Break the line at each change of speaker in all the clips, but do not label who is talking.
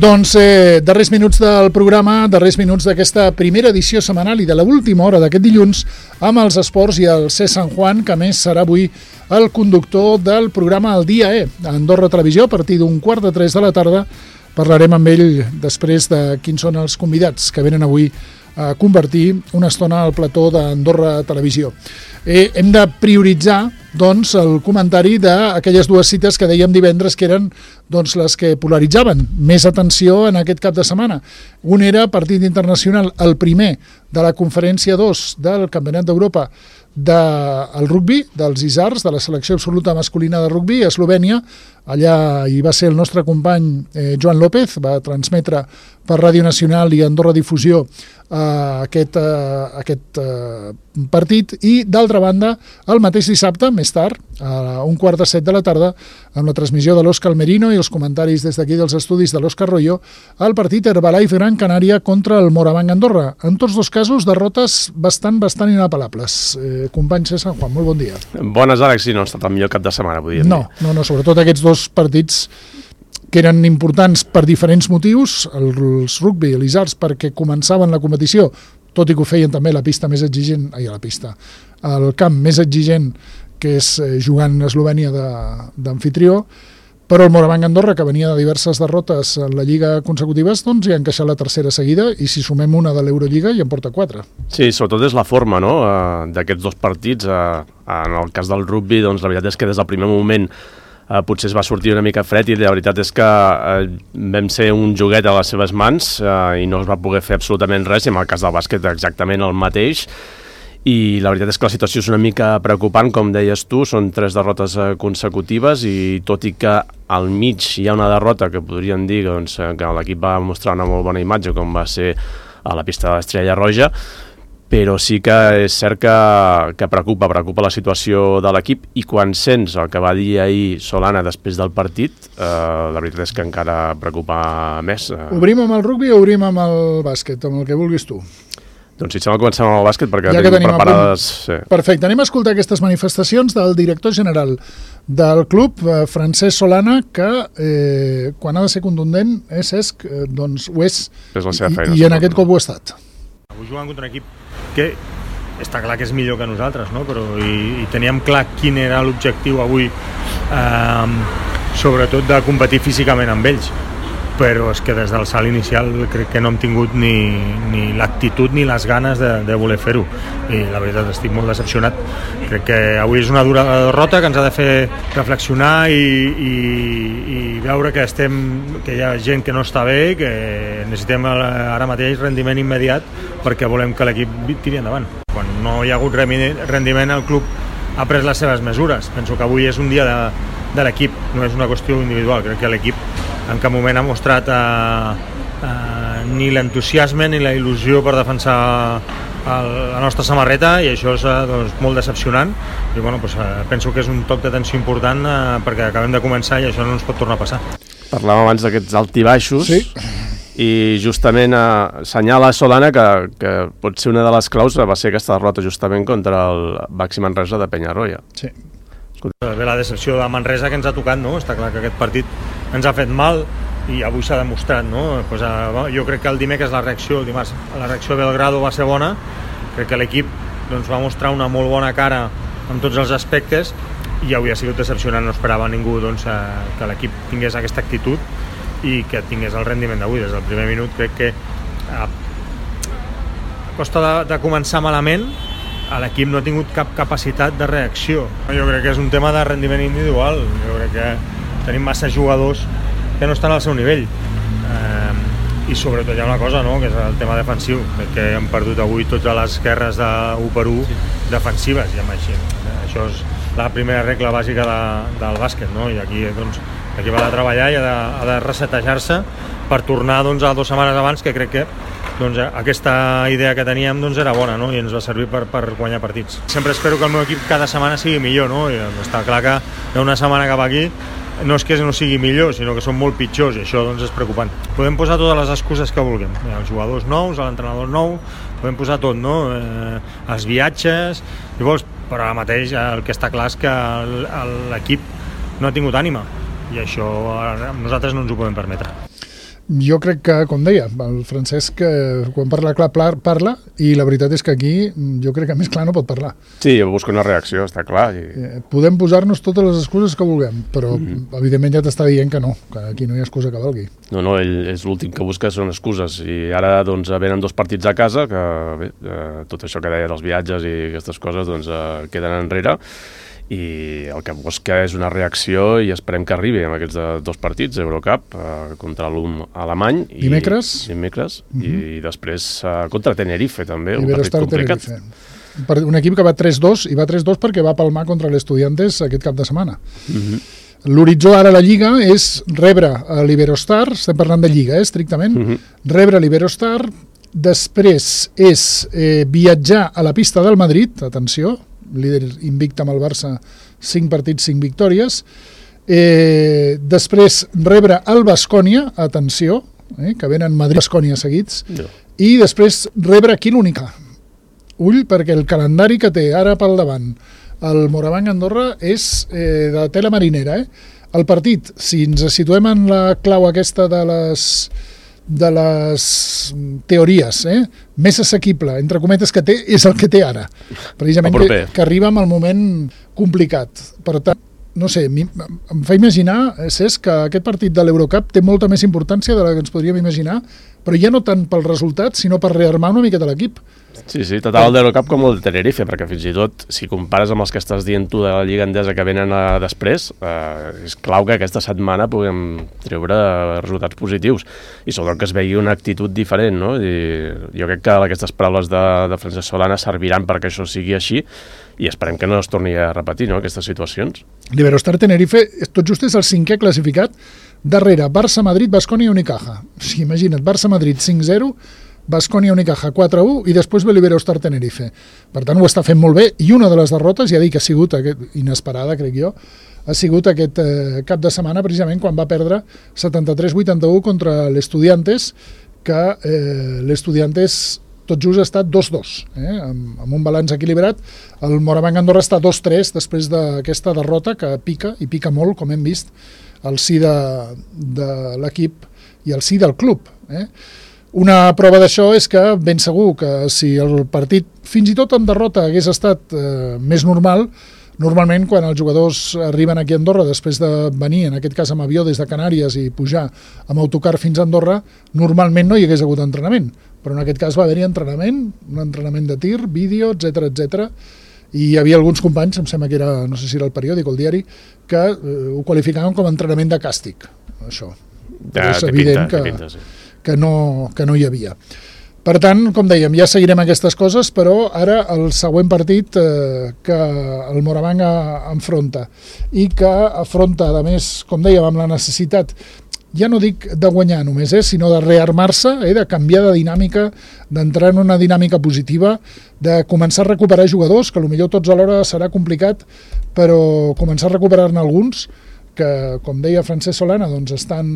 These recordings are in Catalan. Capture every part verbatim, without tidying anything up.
Doncs eh, darrers minuts del programa, darrers minuts d'aquesta primera edició setmanal i de l'última hora d'aquest dilluns amb els esports i el C. San Juan, que a més serà avui el conductor del programa El Dia E, a Andorra Televisió, a partir d'un quart de tres de la tarda. Parlarem amb ell després de quins són els convidats que venen avui a convertir una estona al plató d'Andorra Televisió. Eh, hem de prioritzar doncs, el comentari d'aquelles dues cites que dèiem divendres que eren doncs, les que polaritzaven més atenció en aquest cap de setmana. Un era partit internacional, el primer de la conferència dos del Campionat d'Europa del rugbi, dels Isars, de la selecció absoluta masculina de rugbi a Eslovènia. Allà hi va ser el nostre company eh, Joan López, va transmetre per Ràdio Nacional i Andorra Difusió eh, aquest, eh, aquest eh, partit, i d'altra banda el mateix dissabte, més tard, a un quart de set de la tarda, amb la transmissió de l'Òscar Merino i els comentaris des d'aquí dels estudis de l'Òscar Royo, el partit Herbalife Gran Canària contra el Morabanc Andorra. En tots dos casos, derrotes bastant, bastant inapel·lables. Eh, company C. San Juan, molt bon dia.
Bones, Àlex, sí, no ha estat el millor cap de setmana, podríem
no, dir. No, no, sobretot aquests dos partits que eren importants per diferents motius, els rugbi i l'Isars perquè començaven la competició, tot i que ho feien també la pista més exigent, ai, la pista, el camp més exigent, que és jugant a Eslovènia d'amfitrió, però el Morabanc Andorra, que venia de diverses derrotes en la Lliga consecutives, doncs hi ha encaixat la tercera seguida, i si sumem una de l'Eurolliga ja en porta quatre.
Sí, sobretot és la forma, no?, d'aquests dos partits. En el cas del rugbi, doncs la veritat és que des del primer moment Uh, potser es va sortir una mica fred, i la veritat és que uh, vam ser un joguet a les seves mans uh, i no es va poder fer absolutament res, i en el cas del bàsquet exactament el mateix. I la veritat és que la situació és una mica preocupant, com deies tu, són tres derrotes uh, consecutives, i tot i que al mig hi ha una derrota que podríem dir doncs, que l'equip va mostrar una molt bona imatge, com va ser a la pista de l'Estrella Roja, però sí que és cert que, que preocupa, preocupa la situació de l'equip, i quan sents el que va dir ahir Solana després del partit, eh, la veritat és que encara preocupa més.
Obrim amb el rugbi o obrim amb el bàsquet, amb el que vulguis tu?
Doncs si et sembla, comencem amb el bàsquet, perquè ja tenim, tenim preparades... Sí.
Perfecte, anem a escoltar aquestes manifestacions del director general del club, eh, Francesc Solana, que eh, quan ha de ser contundent és Cesc, eh, doncs ho és,
és la seva feina,
i, i en aquest cop ho ha estat.
Avui jugant contra un equip que està clar que és millor que nosaltres, no? Però i, i teníem clar quin era l'objectiu avui, eh, sobretot de competir físicament amb ells, però és que des del salt inicial crec que no hem tingut ni, ni l'actitud ni les ganes de, de voler fer-ho, i la veritat estic molt decepcionat. Crec que avui és una dura derrota que ens ha de fer reflexionar i, i, i veure que estem, que hi ha gent que no està bé, que necessitem ara mateix rendiment immediat perquè volem que l'equip tiri endavant. Quan no hi ha hagut rendiment, el club ha pres les seves mesures. Penso que avui és un dia de, de l'equip, no és una qüestió individual. Crec que l'equip en cap moment ha mostrat eh, eh, ni l'entusiasme ni la il·lusió per defensar el, la nostra samarreta, i això és eh, doncs, molt decepcionant, i bueno, doncs, eh, penso que és un toc d'atenció important eh, perquè acabem de començar i això no ens pot tornar a passar.
Parlàvem abans d'aquests alt i baixos,
sí.
I justament eh, assenyala Solana que, que pot ser una de les claus va ser aquesta derrota justament contra el Baxi Manresa de Penyarroia.
Sí.
Bé, la decepció de Manresa que ens ha tocat, no? Està clar que aquest partit ens ha fet mal i avui s'ha demostrat, no? Pues, uh, jo crec que el dimecres la reacció, el dimarts, la reacció a Belgrado va ser bona. Crec que l'equip doncs, va mostrar una molt bona cara en tots els aspectes, i avui ha sigut decepcionant. No esperava ningú doncs, uh, que l'equip tingués aquesta actitud i que tingués el rendiment d'avui. Des del primer minut crec que uh, a costa de, de començar malament, l'equip no ha tingut cap capacitat de reacció. Jo crec que és un tema de rendiment individual. Jo crec que tenim massa jugadors que no estan al seu nivell. Eh, I sobretot hi ha una cosa, no?, que és el tema defensiu. Crec que hem perdut avui totes les guerres de u per u defensives, i amb així. Això és la primera regla bàsica de, del bàsquet, no? I aquí doncs, l'equip ha de treballar i ha de, ha de resetejar-se per tornar doncs, a dues setmanes abans, que crec que doncs, aquesta idea que teníem doncs, era bona, no? I ens va servir per, per guanyar partits. Sempre espero que el meu equip cada setmana sigui millor, no? I està clar que d'una setmana cap aquí no és que no sigui millor, sinó que són molt pitjors, i això doncs, és preocupant. Podem posar totes les excuses que vulguem, els jugadors nous, l'entrenador nou, podem posar tot, no? Eh, els viatges, llavors, però ara mateix el que està clar és que l'equip no ha tingut ànima, i això nosaltres no ens ho podem permetre.
Jo crec que, com deia, el Francesc, quan parla clar, parla, i la veritat és que aquí jo crec que més clar no pot parlar.
Sí, busca una reacció, està clar. I...
Podem posar-nos totes les excuses que vulguem, però mm-hmm. evidentment ja t'està dient que no, que aquí no hi ha excusa que valgui.
No, no, ell és l'últim que busca són excuses, i ara doncs venen dos partits a casa, que bé, eh, tot això que deia dels viatges i aquestes coses doncs eh, queden enrere, i el que busca és una reacció i esperem que arribi amb aquests dos partits, Eurocup, eh, contra l'U M alemany i,
dimecres,
dimecres uh-huh. i després eh, contra Tenerife també, un
Iberostar
partit complicat.
Tenerife. Un equip que va tres dos, i va tres dos perquè va palmar contra l'Estudiantes aquest cap de setmana. Uh-huh. L'horitzó ara a la Lliga és rebre l'Iberostar, estem parlant de Lliga, eh, estrictament, uh-huh. rebre l'Iberostar, després és eh, viatjar a la pista del Madrid, atenció, líder invicte amb el Barça, cinc partits, cinc victòries. Eh, després rebre el Baskonia, atenció, eh, que venen Madrid-Baskonia seguits, no. I després rebre aquí l'Única. Ull, perquè el calendari que té ara pel davant el Morabanc Andorra és eh, de tela marinera. Eh? El partit, si ens situem en la clau aquesta de les... de les teories, eh? més assequible, entre cometes, que té, és el que té ara. Precisament que, que arriba en el moment complicat. Per tant, no sé, em fa imaginar, Cesc, que aquest partit de l'Eurocup té molta més importància de la que ens podríem imaginar, però ja no tant pel resultat, sinó per rearmar una miqueta l'equip.
Sí, sí, tant el d'Eurocup com el de Tenerife, perquè fins i tot, si compares amb els que estàs dient tu de la Lliga Endesa que venen a després, eh, és clau que aquesta setmana puguem treure resultats positius i sobretot que es vegi una actitud diferent, no? I jo crec que aquestes paraules de, de Francesc Solana serviran perquè això sigui així i esperem que no es torni a repetir, no?, aquestes situacions.
L'Iberostar Tenerife, tot just és el cinquè classificat, darrere Barça-Madrid, Baskonia i Unicaja. O sigui, imagina't, Barça-Madrid cinc zero, Baskonia Unicaja quatre u i després ve l'Iberostar Tenerife. Per tant, ho està fent molt bé, i una de les derrotes, ja dic que ha sigut aquest, inesperada, crec jo, ha sigut aquest eh, cap de setmana, precisament quan va perdre setanta-tres vuitanta-u contra l'Estudiantes, que eh, l'Estudiantes tot just ha estat dos dos, eh, amb, amb un balanç equilibrat. El Morabanc Andorra està dos tres després d'aquesta derrota, que pica, i pica molt, com hem vist, al si de, de l'equip i al si del club. Eh? Una prova d'això és que ben segur que si el partit, fins i tot en derrota, hagués estat eh, més normal, normalment quan els jugadors arriben aquí a Andorra després de venir, en aquest cas amb avió des de Canàries i pujar amb autocar fins a Andorra, normalment no hi hagués hagut entrenament, però en aquest cas va haver-hi entrenament, un entrenament de tir, vídeo, etcètera, etcètera, i hi havia alguns companys, em sembla que era, no sé si era el periòdic o el diari, que eh, ho qualificaven com a entrenament de càstig, això.
Ja, és evident pinta, que... Pinta, sí.
Que no, que no hi havia. Per tant, com dèiem, ja seguirem aquestes coses, però ara el següent partit eh, que el Morabanc enfronta i que afronta, a més, com dèiem, amb la necessitat, ja no dic de guanyar només, eh, sinó de rearmar-se, eh, de canviar de dinàmica, d'entrar en una dinàmica positiva, de començar a recuperar jugadors, que potser tots alhora serà complicat, però començar a recuperar-ne alguns, que, com deia Francesc Solana, doncs estan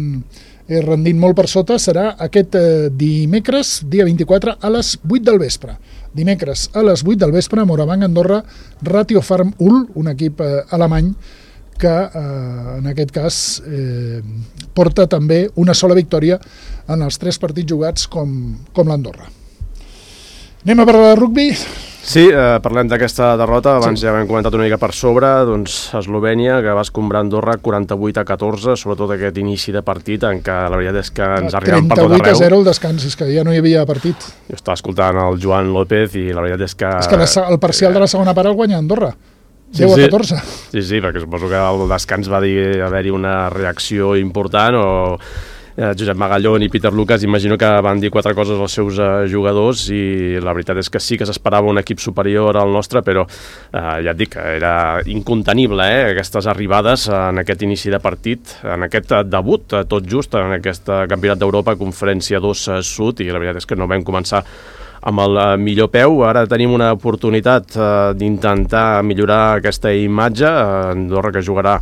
eh, rendint molt per sota, serà aquest eh, dimecres, dia vint-i-quatre, a les vuit del vespre. Dimecres, a les vuit del vespre, Morabanc Andorra, Ratio Farm Ulm, un equip eh, alemany que, eh, en aquest cas, eh, porta també una sola victòria en els tres partits jugats com, com l'Andorra. Anem a parlar de rugbi?
Sí, eh, parlem d'aquesta derrota, abans sí. Ja hem comentat una mica per sobre, doncs Eslovènia, que va escombrar Andorra quaranta-vuit a catorze, sobretot aquest inici de partit en què la veritat és que ens arribem per tot arreu.
trenta-vuit a zero el descans, és que ja no hi havia partit.
Jo estava escoltant el Joan López i la veritat és que...
És que el parcial de la segona part el guanya Andorra, deu a catorze.
Sí, sí, perquè suposo que el descans va dir haver-hi una reacció important o... Josep Magallón i Peter Lucas, imagino que van dir quatre coses als seus eh, jugadors i la veritat és que sí que s'esperava un equip superior al nostre, però eh, ja et dic, era incontenible eh, aquestes arribades en aquest inici de partit, en aquest debut, tot just en aquest Campionat d'Europa, Conferència dos Sud, i la veritat és que no vam començar amb el millor peu. Ara tenim una oportunitat eh, d'intentar millorar aquesta imatge. Andorra que jugarà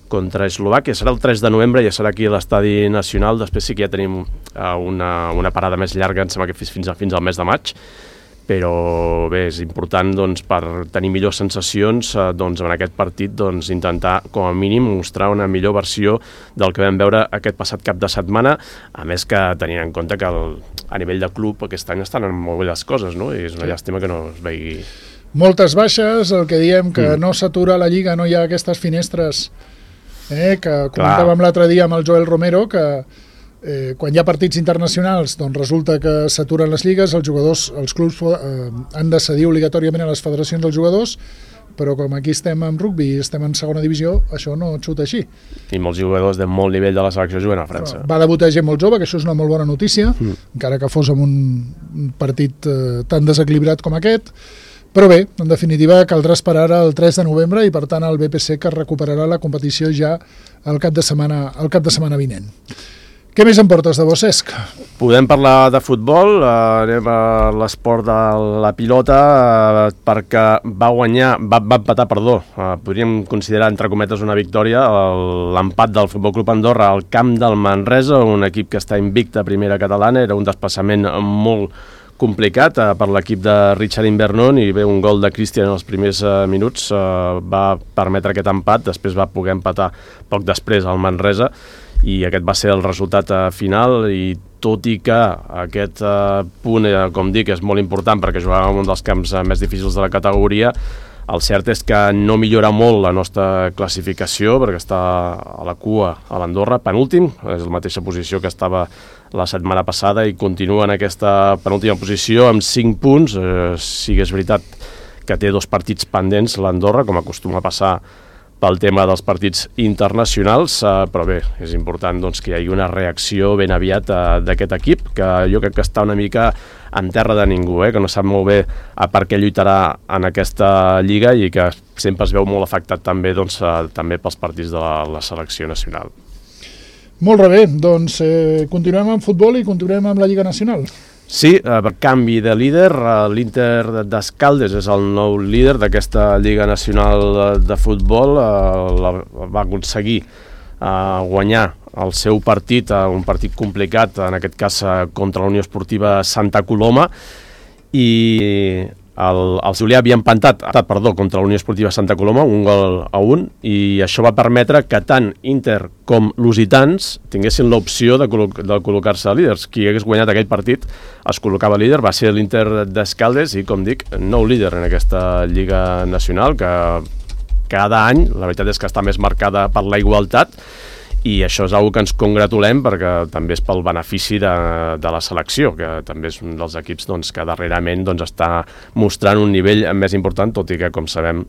contra Eslovàquia, serà el tres de novembre, ja serà aquí a l'Estadi Nacional, després sí que ja tenim uh, una, una parada més llarga, em sembla que fins, a, fins al mes de maig, però bé, és important doncs, per tenir millors sensacions eh, doncs, en aquest partit doncs, intentar com a mínim mostrar una millor versió del que vam veure aquest passat cap de setmana, a més que tenint en compte que el, a nivell de club aquest any estan en molt bé les coses, no? I és una llàstima que no es vegi.
Moltes baixes, el que diem que
mm.
no s'atura la Lliga, no hi ha aquestes finestres eh, que comentàvem l'altre dia amb el Joel Romero, que Eh, quan hi ha partits internacionals doncs resulta que s'aturen les lligues, els jugadors, els clubs eh, han de cedir obligatòriament a les federacions dels jugadors, però com aquí estem en rugby i estem en segona divisió, això no xuta així.
I molts jugadors de molt nivell de la selecció juguen a França.
Va debutar gent molt jove, que això és una molt bona notícia, mm. encara que fos en un partit eh, tan desequilibrat com aquest, però bé, en definitiva caldrà esperar el tres de novembre i per tant el B P C que recuperarà la competició ja el cap de setmana, el cap de setmana vinent. Què més em portes de bo, Cesc?
Podem parlar de futbol, eh, anem a l'esport de la pilota, eh, perquè va guanyar, va, va empatar, perdó, eh, podríem considerar entre cometes una victòria, l'empat del Futbol Club Andorra al camp del Manresa, un equip que està invicte a primera catalana, era un desplaçament molt complicat eh, per l'equip de Richard Invernon, i bé, un gol de Cristian en els primers eh, minuts eh, va permetre aquest empat, després va poder empatar poc després al Manresa, i aquest va ser el resultat eh, final, i tot i que aquest eh, punt, eh, com dic, és molt important perquè jugàvem en un dels camps eh, més difícils de la categoria, el cert és que no millora molt la nostra classificació perquè està a la cua a l'Andorra, penúltim, és la mateixa posició que estava la setmana passada i continua en aquesta penúltima posició amb cinc punts, eh, sí que és veritat que té dos partits pendents l'Andorra, com acostuma a passar pel tema dels partits internacionals, eh, però bé, és important doncs, que hi hagi una reacció ben aviat eh, d'aquest equip, que jo crec que està una mica en terra de ningú, eh, que no sap molt bé a per què lluitarà en aquesta lliga i que sempre es veu molt afectat també, doncs, eh, també pels partits de la, la selecció nacional.
Molt bé, doncs eh, continuem amb futbol i continuem amb la Lliga Nacional.
Sí, per canvi de líder, l'Inter d'Escaldes és el nou líder d'aquesta Lliga Nacional de Futbol, va aconseguir guanyar el seu partit, un partit complicat, en aquest cas contra la Unió Esportiva Santa Coloma, i el, el Julià havia empantat, perdó, contra la Unió Esportiva Santa Coloma, un gol a un, i això va permetre que tant Inter com Lusitans tinguessin l'opció de, col·lo de col·locar-se líders. Qui hagués guanyat aquell partit es col·locava líder, va ser l'Inter d'Escaldes i, com dic, nou líder en aquesta Lliga Nacional, que cada any, la veritat és que està més marcada per la igualtat, i això és una que ens congratulem perquè també és pel benefici de, de la selecció, que també és un dels equips doncs, que darrerament doncs, està mostrant un nivell més important, tot i que, com sabem,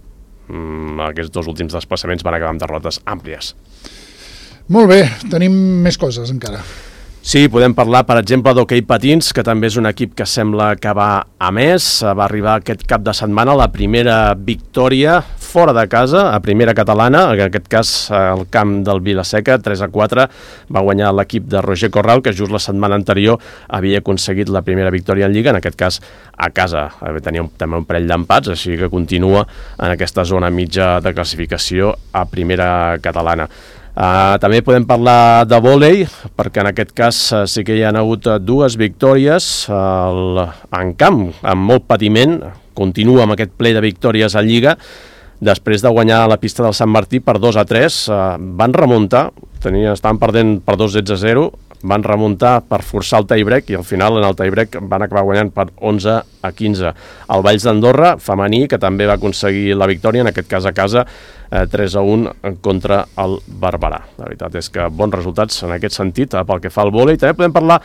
aquests dos últims desplaçaments van acabar amb derrotes àmplies.
Molt bé, tenim més coses encara.
Sí, podem parlar, per exemple, d'Hockey Patins, que també és un equip que sembla que va a més. Va arribar aquest cap de setmana la primera victòria fora de casa, a primera catalana, en aquest cas al camp del Vilaseca, tres a quatre, va guanyar l'equip de Roger Corral, que just la setmana anterior havia aconseguit la primera victòria en Lliga, en aquest cas a casa. Tenia un, també un parell d'empats, així que continua en aquesta zona mitja de classificació a primera catalana. Uh, també podem parlar de vòlei, perquè en aquest cas uh, sí que hi ha hagut uh, dues victòries uh, en camp, amb molt patiment. Continua amb aquest ple de victòries a Lliga, després de guanyar la pista del Sant Martí per dos a tres, uh, van remuntar, tenien, estaven perdent per dos sets a zero, van remuntar per forçar el tie-break i al final en el tie-break van acabar guanyant per onze a quinze. El Valls d'Andorra, femení, que també va aconseguir la victòria, en aquest cas a casa, eh, tres a un contra el Barberà. La veritat és que bons resultats en aquest sentit, eh, pel que fa al vòlei. També podem parlar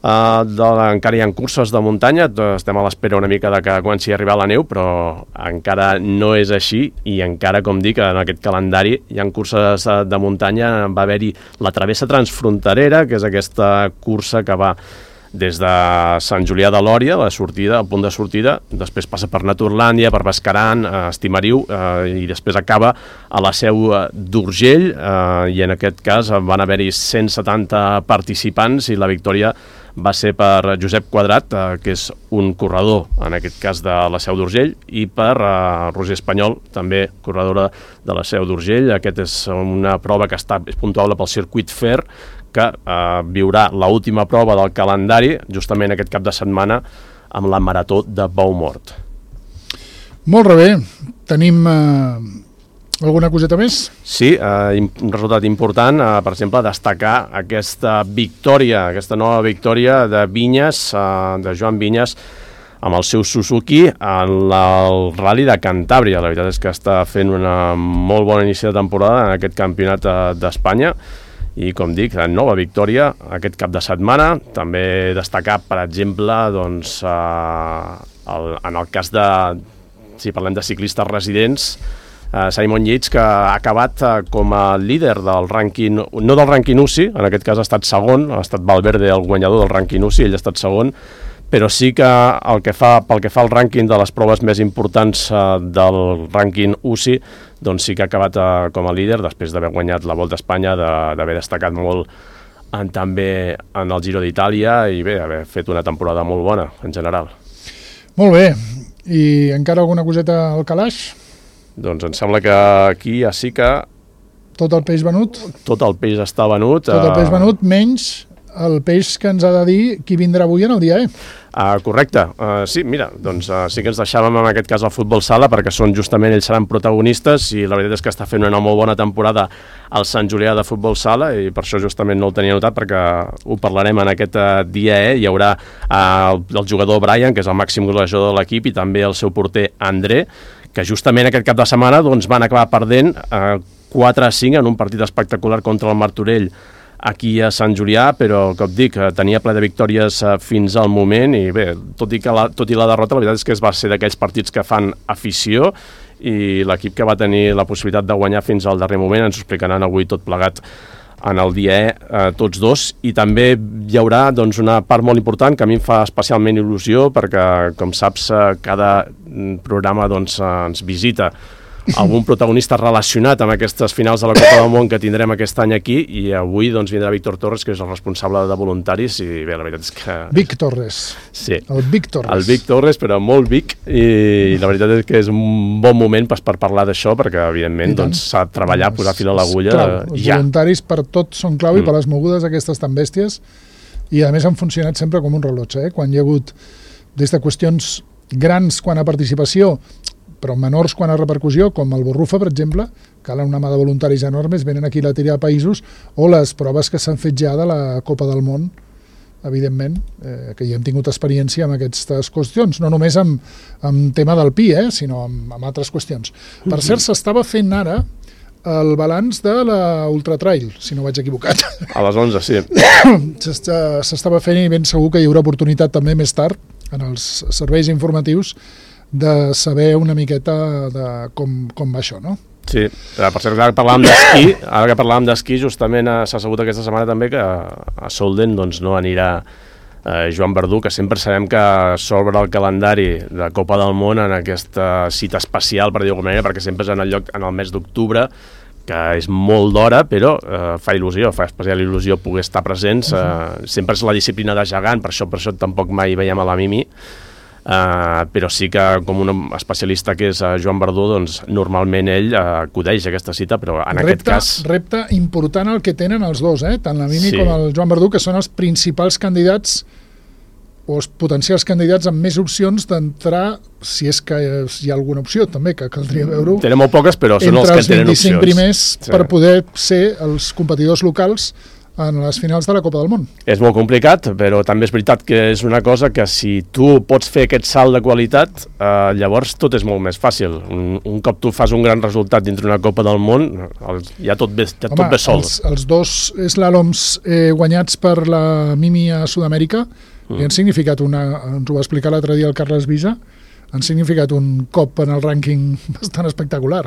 Uh, de, encara hi ha curses de muntanya, estem a l'espera una mica de que comenci a arribar la neu, però encara no és així i encara, com dic, en aquest calendari hi ha curses de muntanya. Va haver-hi la travessa transfronterera, que és aquesta cursa que va des de Sant Julià de Lòria, la sortida, el punt de sortida, després passa per Naturlàndia, per Bascaran, eh, Estimariu, eh, i després acaba a la Seu d'Urgell, eh, i en aquest cas van haver-hi cent setanta participants i la victòria va ser per Josep Quadrat, eh, que és un corredor, en aquest cas de la Seu d'Urgell, i per eh, Roser Espanyol, també corredora de la Seu d'Urgell. Aquest és una prova que està, és puntuable pel Circuit Fair, que eh, viurà l'última prova del calendari, justament aquest cap de setmana, amb la marató de Boumort.
Molt bé. Tenim eh, alguna coseta més?
Sí, eh, un resultat important, eh, per exemple, destacar aquesta victòria, aquesta nova victòria de Vinyes, eh, de Joan Vinyes, amb el seu Suzuki en el Rally de Cantàbria. La veritat és que està fent una molt bona inici de temporada en aquest campionat d'Espanya i, com dic, nova victòria aquest cap de setmana. També destacar, per exemple, doncs, eh, el, en el cas de, si parlem de ciclistes residents, eh, Simon Yates, que ha acabat eh, com a líder del rànquing, no del rànquing U C I, en aquest cas ha estat segon, ha estat Valverde el guanyador del rànquing U C I, ell ha estat segon, però sí que, el que fa, pel que fa al rànquing de les proves més importants eh, del rànquing U C I, doncs sí que ha acabat eh, com a líder després d'haver guanyat la Volta a Espanya, d'haver destacat molt en, també en el Giro d'Itàlia i bé, haver fet una temporada molt bona en general.
Molt bé. I encara alguna coseta al calaix?
Doncs em sembla que aquí ja sí que...
Tot el peix venut?
Tot el peix està venut.
Tot el peix venut, menys el peix que ens ha de dir qui vindrà avui en el dia, eh?
Uh, correcte. Uh, sí, mira, doncs uh, sí que ens deixàvem en aquest cas el futbol sala perquè són justament, ells seran protagonistes i la veritat és que està fent una molt bona temporada al Sant Julià de futbol sala i per això justament no el tenia notat perquè ho parlarem en aquest uh, dia, eh? Hi haurà uh, el, el jugador Brian, que és el màxim golejador de l'equip, i també el seu porter André, que justament aquest cap de setmana doncs, van acabar perdent uh, quatre a cinc en un partit espectacular contra el Martorell aquí a Sant Julià, però, com dic, tenia ple de victòries fins al moment i bé, tot i, que la, tot i la derrota, la veritat és que es va ser d'aquells partits que fan afició i l'equip que va tenir la possibilitat de guanyar fins al darrer moment ens ho explicaran avui tot plegat en el dia E, eh, tots dos, i també hi haurà doncs, una part molt important que a mi em fa especialment il·lusió perquè, com saps, cada programa doncs, ens visita algun protagonista relacionat amb aquestes finals de la Copa del Món que tindrem aquest any aquí i avui doncs, vindrà Víctor Torres, que és el responsable de voluntaris i bé, la veritat és que...
Vic Torres.
Sí.
El Vic Torres.
El Vic Torres, però molt Vic i la veritat és que és un bon moment per, per parlar d'això perquè evidentment doncs, s'ha de treballar, posar fil a l'agulla
ja. Els
ja.
Voluntaris per tot són clau i
mm.
per les mogudes aquestes tan bèsties i a més han funcionat sempre com un rellotge, eh? Quan hi ha hagut des de qüestions grans quan a participació però menors quan a repercussió, com el Borrufa, per exemple, calen una mà de voluntaris enormes, venen aquí a la tira de països, o les proves que s'han fet ja de la Copa del Món, evidentment, eh, que ja hem tingut experiència amb aquestes qüestions, no només amb, amb tema del Pi, eh, sinó amb, amb altres qüestions. Per cert, s'estava fent ara el balanç de la Ultra Trail, si no vaig equivocat.
A les onze, sí.
S'estava fent i ben segur que hi haurà oportunitat també més tard, en els serveis informatius, de saber una miqueta de com, com va això, no?
Sí, per cert, ara que parlàvem d'esquí, ara que parlàvem d'esquí, justament s'ha sabut aquesta setmana també que a Solden doncs, no anirà eh, Joan Verdú, que sempre sabem que s'obre el calendari de Copa del Món en aquesta cita especial, per dir-ho d'alguna manera, perquè sempre és en el lloc en el mes d'octubre, que és molt d'hora, però eh, fa il·lusió, fa especial il·lusió poder estar presents. Eh, sempre és la disciplina de gegant, per això, per això tampoc mai veiem a la Mimi, Uh, però sí que com un especialista que és uh, Joan Verdú, doncs normalment ell uh, acudeix a aquesta cita, però en
repte,
aquest cas...
Repte important el que tenen els dos, eh? Tant la Mimi
sí.
com el Joan Verdú, que són els principals candidats o els potencials candidats amb més opcions d'entrar, si és que hi ha alguna opció també, que caldria veure-ho.
Tenen molt poques, però són els que tenen opcions.
Entre els vint-i-cinc primers sí. per poder ser els competidors locals en les finals de la Copa del Món.
És molt complicat, però també és veritat que és una cosa que si tu pots fer aquest salt de qualitat, eh, llavors tot és molt més fàcil. Un, un cop tu fas un gran resultat dintre una Copa del Món, el, ja tot ve, ja
Home,
tot ve sol.
Els, els dos slàloms eh, guanyats per la Mimi a Sud-amèrica mm. li han significat una, ens ho va explicar l'altre dia el Carles Visa, han significat un cop en el rànquing bastant espectacular.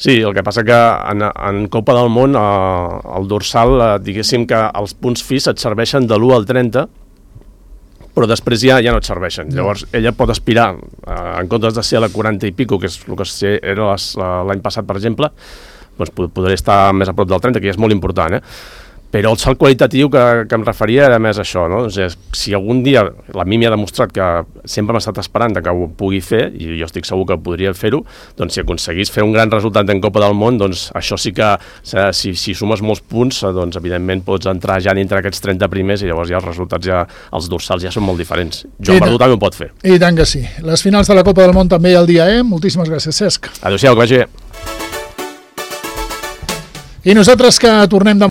Sí, el que passa que en, en Copa del Món eh, el dorsal, eh, diguéssim que els punts FIS et serveixen de l'u al trenta, però després ja ja no et serveixen. No. Llavors ella pot aspirar, eh, en comptes de ser a la quaranta i pico, que és el que era l'any passat, per exemple, doncs podré estar més a prop del trenta, que ja és molt important, eh? Però el salt qualitatiu que, que em referia era més això, no? O sigui, si algun dia la Mimi ha demostrat que sempre m'ha estat esperant que ho pugui fer, i jo estic segur que podria fer-ho, doncs si aconseguís fer un gran resultat en Copa del Món, doncs això sí que, si, si sumes molts punts, doncs evidentment pots entrar ja dintre aquests trenta primers i llavors ja els resultats, ja els dorsals ja són molt diferents. Joan Verdú també ho pot fer.
I tant que sí. Les finals de la Copa del Món també el dia E. Moltíssimes gràcies, Cesc.
Adéu-siau, que vagi bé.
I nosaltres que tornem de